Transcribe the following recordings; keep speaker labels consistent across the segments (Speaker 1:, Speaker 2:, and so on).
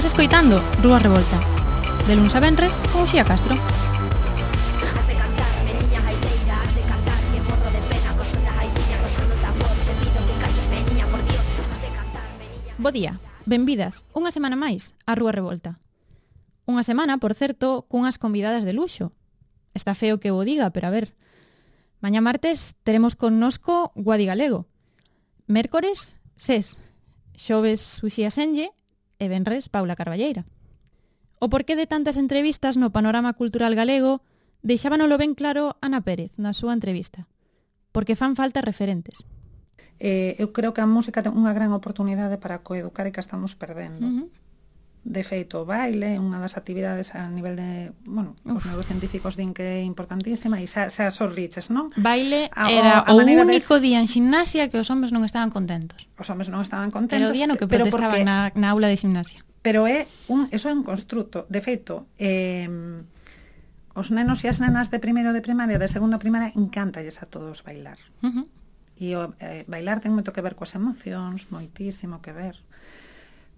Speaker 1: Estás escoitando Rúa Revolta, de luns a venres con Uxía Castro. Bo día, benvidas unha semana máis a Rúa Revolta. Unha semana, por certo, cunhas convidadas de luxo. Está feo que o diga, pero a ver. Mañá martes teremos connosco Guadi Galego. Mércores, Ses. Xoves, Uxía Senlle e venres, Paula Carballeira. O porqué de tantas entrevistas no panorama cultural galego deixábanolo ben claro Ana Pérez na súa entrevista. Porque fan falta referentes.
Speaker 2: Eu creo que a música ten unha gran oportunidade para coeducar e que estamos perdendo. De feito, o baile é unha das actividades a nivel de, bueno, os neurocientíficos din que é importantísima e xa os riches, non?
Speaker 1: Baile era o único día en ximnasia que os homes non estaban contentos.
Speaker 2: Os homes non estaban contentos.
Speaker 1: Pero o día no que protestaban na aula de ximnasia.
Speaker 2: Pero eso é un construto. De feito, os nenos e as nenas de primeiro de primaria, de segundo de primaria, encántalles a todos bailar. E bailar ten moito que ver coas emocións, moitísimo que ver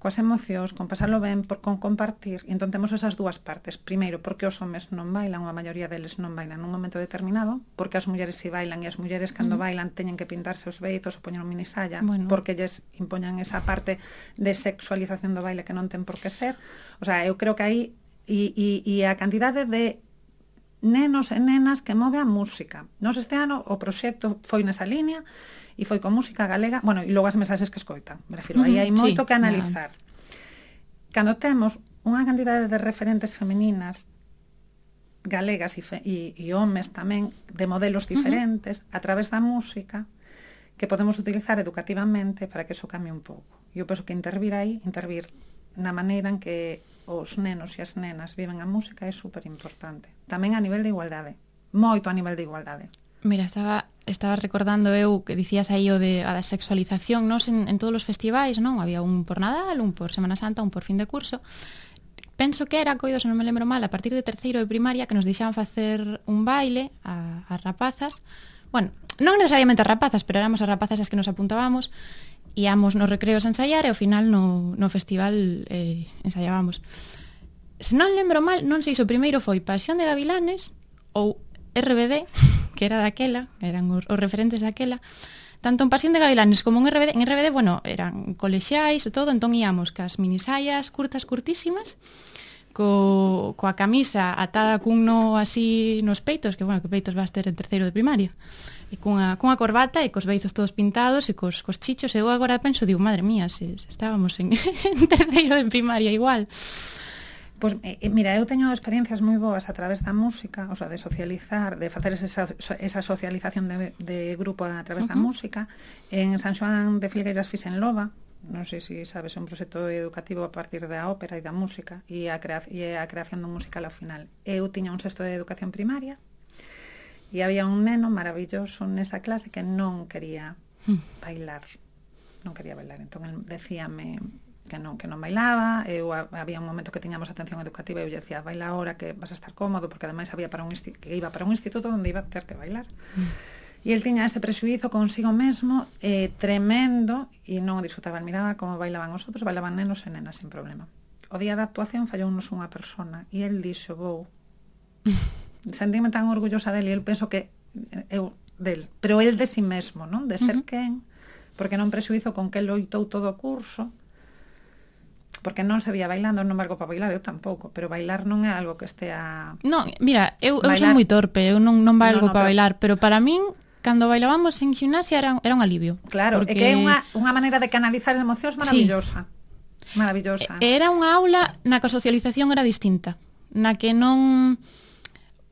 Speaker 2: coas emocións, con pasarlo ben, con compartir. E entón temos esas dúas partes. Primeiro, porque os homes non bailan, ou a maioría deles non bailan nun momento determinado, porque as mulleres si bailan, e as mulleres cando bailan teñen que pintarse os beizos ou poñer un minisalla, porque lles impoñan esa parte de sexualización do baile que non ten por que ser. O sea, eu creo que aí e a cantidade de nenos e nenas que move a música. Nos este ano o proxecto foi nesa línea e foi con música galega, bueno, e logo as mensaxes que escoitan. Me refiro, aí hai moito que analizar. Cando temos unha cantidade de referentes femininas galegas e homes tamén de modelos diferentes a través da música que podemos utilizar educativamente para que eso cambie un pouco. E eu penso que intervir na maneira en que os nenos e as nenas viven a música é super importante. Tamén a nivel de igualdade. Moito a nivel de igualdade.
Speaker 1: Mira, estaba recordando eu que dicías aí a da sexualización, nos en todos os festivais, non? Había un por Nadal, un por Semana Santa, un por fin de curso. Penso que era, coido, se non me lembro mal, a partir de terceiro de primaria que nos deixaban facer un baile a rapazas. Bueno, non necesariamente a rapazas, pero éramos as rapazas as que nos apuntábamos. Íamos nos recreos a ensaiar e ao final no festival ensaiábamos. Se non lembro mal, non sei se o primeiro foi Pasión de Gavilanes ou RBD, que era daquela, eran os referentes daquela. Tanto en Pasión de Gavilanes como en RBD, bueno, eran colexiais e todo, entón íamos cas minisaias curtísimas, coa camisa atada cun no así nos peitos, que bueno, que peitos vas ter en terceiro de primaria. E cunha corbata e cos beizos todos pintados e cos chichos. Eu agora penso, digo, madre mía, se estábamos en terceiro de primaria igual.
Speaker 2: Pois, mira, eu teño experiencias moi boas a través da música, o sea, de socializar, de facer esa socialización de grupo a través da música. En San Xoán de Filgueiras fixen Loba, non sei se sabes, é un proxecto educativo a partir da ópera e da música e a creación dun musical ao final. Eu tiña un sexto de educación primaria e había un neno maravilloso nesa clase que non quería bailar. Non quería bailar, entón el decíame que non bailaba. Había un momento que tiñamos atención educativa e eu lle decía, baila ahora que vas a estar cómodo, porque ademais que iba para un instituto onde iba a ter que bailar. E el tiña ese prexuízo consigo mesmo tremendo e non o disfrutaba. Miraba como bailaban os outros, bailaban nenos e nenas sin problema. O día da actuación fallounos unha persona e el dixo, vou. Sentíme tan orgullosa dele e eu penso que eu del, pero el de si mesmo, non? De ser quen, porque non prexuízo con que loitou todo o curso, porque non se vía bailando, non valgo para bailar, eu tampouco, pero bailar non é algo que estea...
Speaker 1: Non, mira, eu son moi torpe, eu non valgo para bailar, pero para min, cando bailábamos en ximnasia era un alivio.
Speaker 2: Claro, porque... é que é unha maneira de canalizar emocións maravillosa. Sí. Maravillosa.
Speaker 1: Era unha aula na que a socialización era distinta, na que non...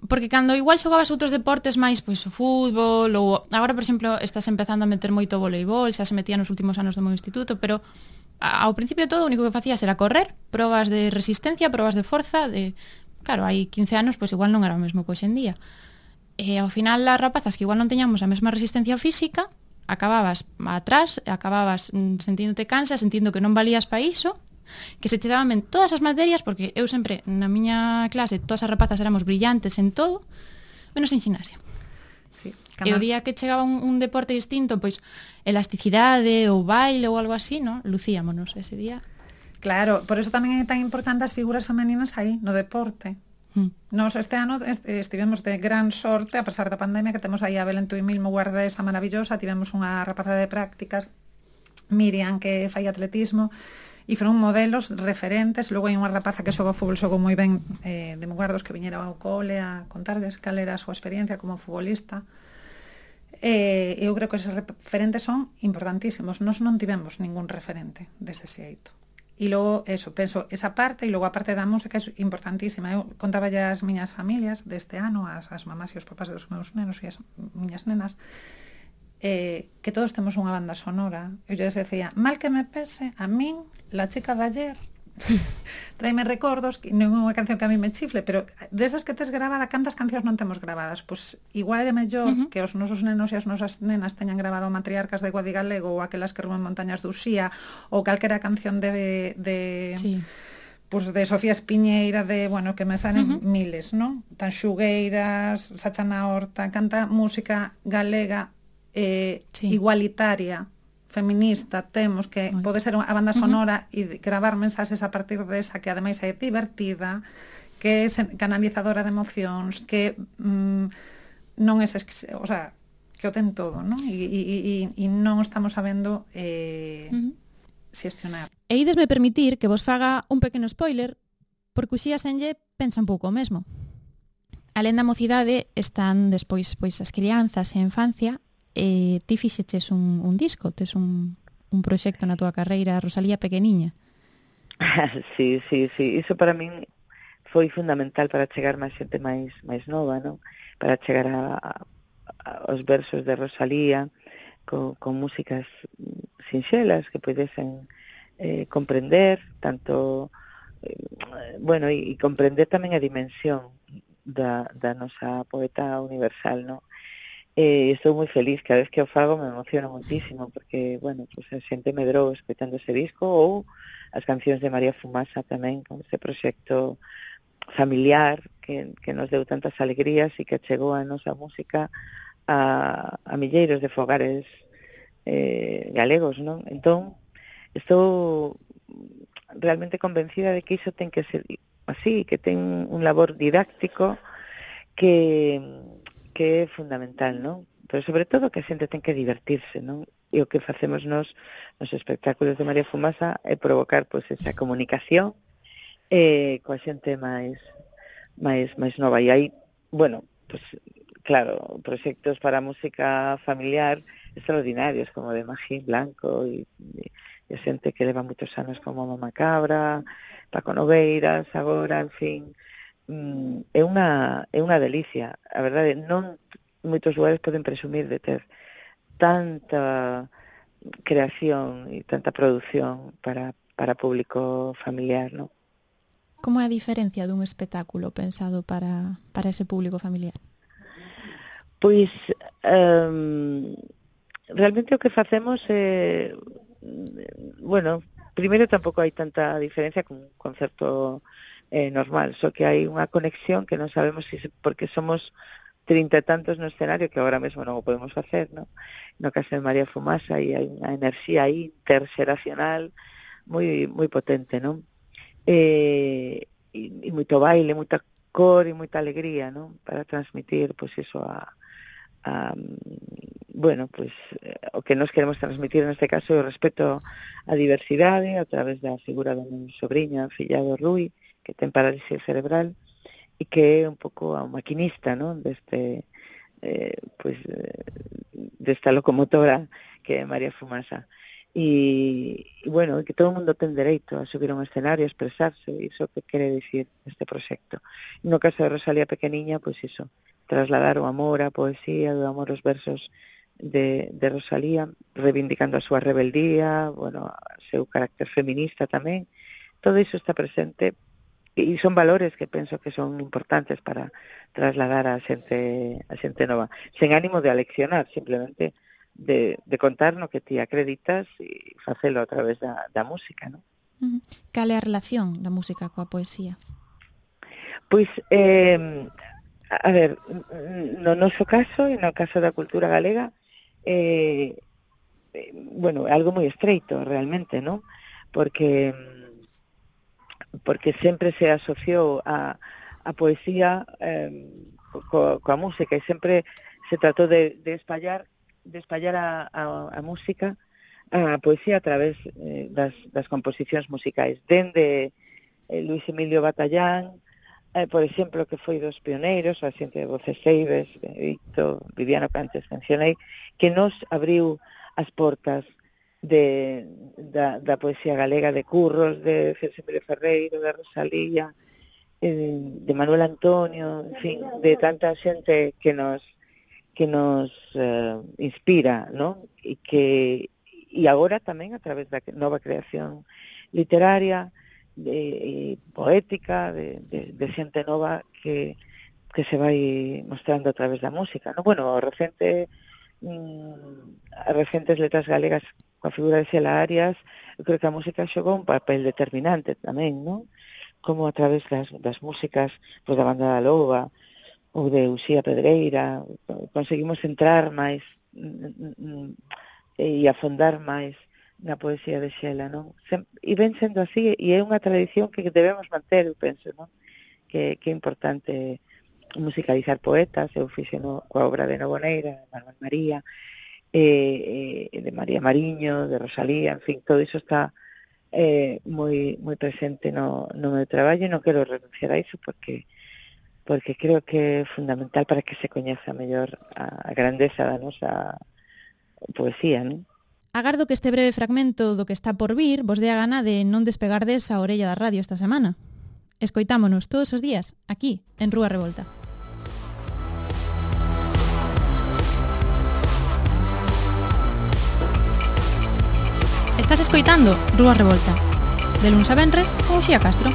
Speaker 1: Porque cando igual xogabas outros deportes máis, pois o fútbol, ou agora, por exemplo, estás empezando a meter moito voleibol, xa se metía nos últimos anos do meu instituto, pero ao principio de todo o único que facías era correr, probas de resistencia, probas de forza, claro, hai 15 anos, pois igual non era o mesmo que hoxe en día. E ao final as rapazas que igual non teñamos a mesma resistencia física, acababas atrás, acababas sentíndote cansa, sentindo que non valías para iso, que se te daban ben todas as materias, porque eu sempre, na miña clase, todas as rapazas éramos brillantes en todo, menos en ximnasia.
Speaker 2: Sí,
Speaker 1: e o día que chegaba un deporte distinto, pois elasticidade ou baile ou algo así, ¿no? Lucíamonos ese día.
Speaker 2: Claro, por eso tamén é tan importante as figuras femeninas aí, no deporte. Nos este ano estivemos de gran sorte, a pesar da pandemia, que temos aí a Belén Tuimil, guardesa maravillosa, tivemos unha rapaza de prácticas, Miriam, que fai atletismo, e foron modelos referentes. Logo hai unha rapaza que xoga fútbol, xogou moi ben, de Mugardos, que viñera ao cole a contarles cal era a súa experiencia como futbolista. Eu creo que esos referentes son importantísimos. Nós non tivemos ningún referente dese xeito. E logo, eso, penso, esa parte, e logo a parte da música é importantísima. Eu contaba ya as miñas familias deste ano, as mamás e os papás dos meus nenos e as miñas nenas, que todos temos unha banda sonora. Eu les decía, mal que me pese, a min, la chica de ayer, traime recordos, que non é unha canción que a mí me chifle, pero desas que tes grabada, cantas cancións non temos grabadas? Pois igual é mellor que os nosos nenos e as nosas nenas teñan grabado Matriarcas de Guadigalego ou aquelas que ruben montañas de Uxía ou calquera canción de sí, pues de Sofía Espiñeira, de, bueno, que me salen miles, ¿no? Tanxugueiras, Sacha na Horta, canta música galega sí, igualitaria, feminista, temos que pode ser a banda sonora e gravar mensaxes a partir desa, que ademais é divertida, que é canalizadora de emocións, que non é, o sea, que o ten todo, non? E non estamos sabendo xestionar.
Speaker 1: E idesme permitir que vos faga un pequeno spoiler, porque Uxía Senlle pensa un pouco o mesmo. Alén da mocidade están despois pois as crianzas e a infancia. Ti fixeches un disco, tes un proxecto na túa carreira, Rosalía Pequeniña.
Speaker 3: Sí, iso para min foi fundamental para chegar máis xente máis nova, non? Para chegar aos versos de Rosalía con músicas sinxelas que pudesen comprender tanto bueno, e comprender tamén a dimensión da nosa poeta universal, non? Estou moi feliz, cada vez que o fago me emociono muitísimo, porque, bueno, pues a xente medrou escoitando ese disco, ou as cancións de María Fumasa tamén, con ese proxecto familiar que nos deu tantas alegrías e que chegou a nosa música a milleiros de fogares galegos, non? Entón, estou realmente convencida de que iso ten que ser así, que ten un labor didáctico que é fundamental, non? Pero sobre todo que a xente ten que divertirse, non? E o que facemos nos espectáculos de María Fumasa é provocar pois esa comunicación coa xente máis nova. E aí, bueno, pues claro, proxectos para música familiar extraordinarios, como de Magín Blanco e xente que leva moitos anos como Mama Cabra, Paco Nogueiras, agora, en fin, é unha delicia. A verdade, non moitos lugares poden presumir de ter tanta creación e tanta produción para público familiar, non?
Speaker 1: Como é a diferencia dun espectáculo pensado para ese público familiar?
Speaker 3: Pois, realmente o que facemos é, bueno, primeiro tampouco hai tanta diferencia con un concerto normal, só que hai unha conexión que non sabemos porque somos 30 e tantos no escenario, que agora mesmo non o podemos facer, non? No caso de María Fumasa, e hai unha enerxía aí interxeracional moi potente, non? E moito baile, moita cor e moita alegría, non? Para transmitir, pois iso bueno, pois o que nos queremos transmitir neste caso é o respeto á diversidade a través da figura da minha sobrinha, filla do Rui, que ten parálisis cerebral e que é un pouco a maquinista, non? Desta locomotora que é María Fumasa. E bueno, que todo o mundo ten dereito a subir a un escenario, a expresarse, iso que quere dicir este proxecto. No caso de Rosalía Pequeniña, pois iso, trasladar o amor, a poesía, o amor aos versos de Rosalía, reivindicando a súa rebeldía, bueno, o seu carácter feminista tamén. Todo iso está presente e son valores que penso que son importantes para trasladar a xente nova, sen ánimo de aleccionar, simplemente de contar no que ti acreditas e facelo a través da música, non?
Speaker 1: Cal é a relación da música coa poesía?
Speaker 3: Pois, a ver, no noso caso e no caso da cultura galega, bueno, é algo moi estreito realmente, non? Porque porque sempre se asociou a poesía coa música e sempre se tratou de espallar a música, a poesía a través das composicións musicais, dende Luis Emilio Batallán, por exemplo, que foi dos pioneiros, a xente de Voces Ceibes, Benedicto, Viviano, que antes mencionei, que nos abriu as portas da poesía galega, de Curros, de Emilio Ferreiro, de Rosalía, de Manuel Antonio, en fin, de tanta xente que nos inspira, ¿no? E agora tamén a través da nova creación literaria, poética, de xente nova que se vai mostrando a través da música, ¿no? Bueno, as recentes letras galegas coa figura de Xela Arias, eu creo que a música xogou un papel determinante tamén, ¿no? Como a través das músicas pues, da Banda da Loba ou de Uxía Pedreira conseguimos entrar máis e afondar máis na poesía de Xela, non? E ven sendo así, e é unha tradición que debemos manter, eu penso, non? Que é importante musicalizar poetas, eu fixeno coa obra de Novoneira, de Manuel María, de María Mariño, de Rosalía, en fin, todo iso está moi presente no meu traballo e non quero renunciar a iso porque creo que é fundamental para que se coñeza mellor a grandeza da nosa poesía, non?
Speaker 1: Agardo que este breve fragmento do que está por vir vos dé a gana de non despegardes a orella da radio esta semana. Escoitámonos todos os días, aquí, en Rúa Revolta. Estás escoitando Rúa Revolta, de luns a venres con Uxía Castro.